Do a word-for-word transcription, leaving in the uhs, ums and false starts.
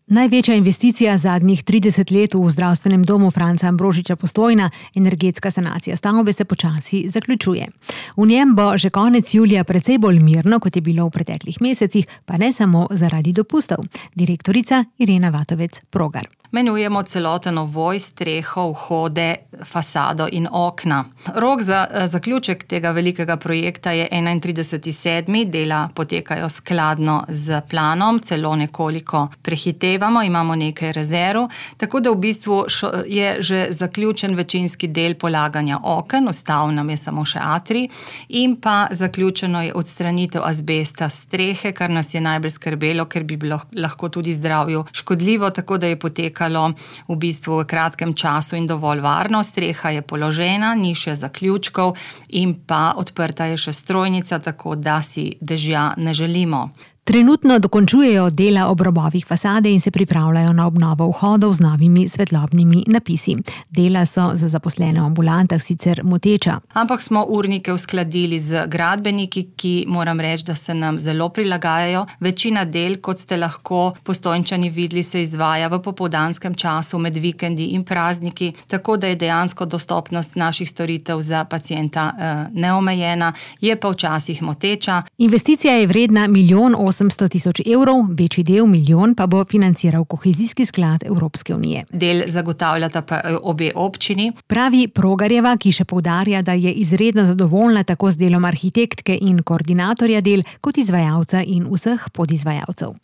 Največja investicija zadnjih trideset let v zdravstvenem domu Franca Ambrožiča Postojna, energetska sanacija stavbe, se počasi zaključuje. V njem bo že konec julija precej bolj mirno, kot je bilo v preteklih mesecih, pa ne samo zaradi dopustov. Direktorica Irena Vatovec-Progar. Menujemo celoten ovoj, streho, vhode, fasado in okna. Rok za zaključek tega velikega projekta je enaintrideseti sedmi Dela potekajo skladno z planom, celo nekoliko prehitevamo, imamo nekaj rezerv, tako da v bistvu je že zaključen večinski del polaganja oken, ostal nam je samo še atrij, in pa zaključeno je odstranitev azbesta s strehe, kar nas je najbolj skrbelo, ker bi bilo lahko tudi zdravju škodljivo, tako da je potekalo v bistvu v kratkem času in dovolj varno. Streha je položena, ni še zaključkov in pa odprta je še strojnica, tako da si dežja ne želimo. Trenutno dokončujejo dela ob robovih fasade in se pripravljajo na obnovo vhodov z novimi svetlobnimi napisi. Dela so za zaposlene v ambulantah sicer moteča. Ampak smo urnike uskladili z gradbeniki, ki moram reči, da se nam zelo prilagajajo. Večina del, kot ste lahko Postojnčani videli, se izvaja v popoldanskem času med vikendi in prazniki, tako da je dejansko dostopnost naših storitev za pacienta eh, neomejena, je pa včasih moteča. Investicija je vredna milijon osemsto tisoč evrov, večji del, milijon, pa bo financiral kohezijski sklad Evropske unije. Del zagotavljata pa obe občini. Pravi Progarjeva, ki še poudarja, da je izredno zadovoljna tako z delom arhitektke in koordinatorja del, kot izvajalca in vseh podizvajalcev.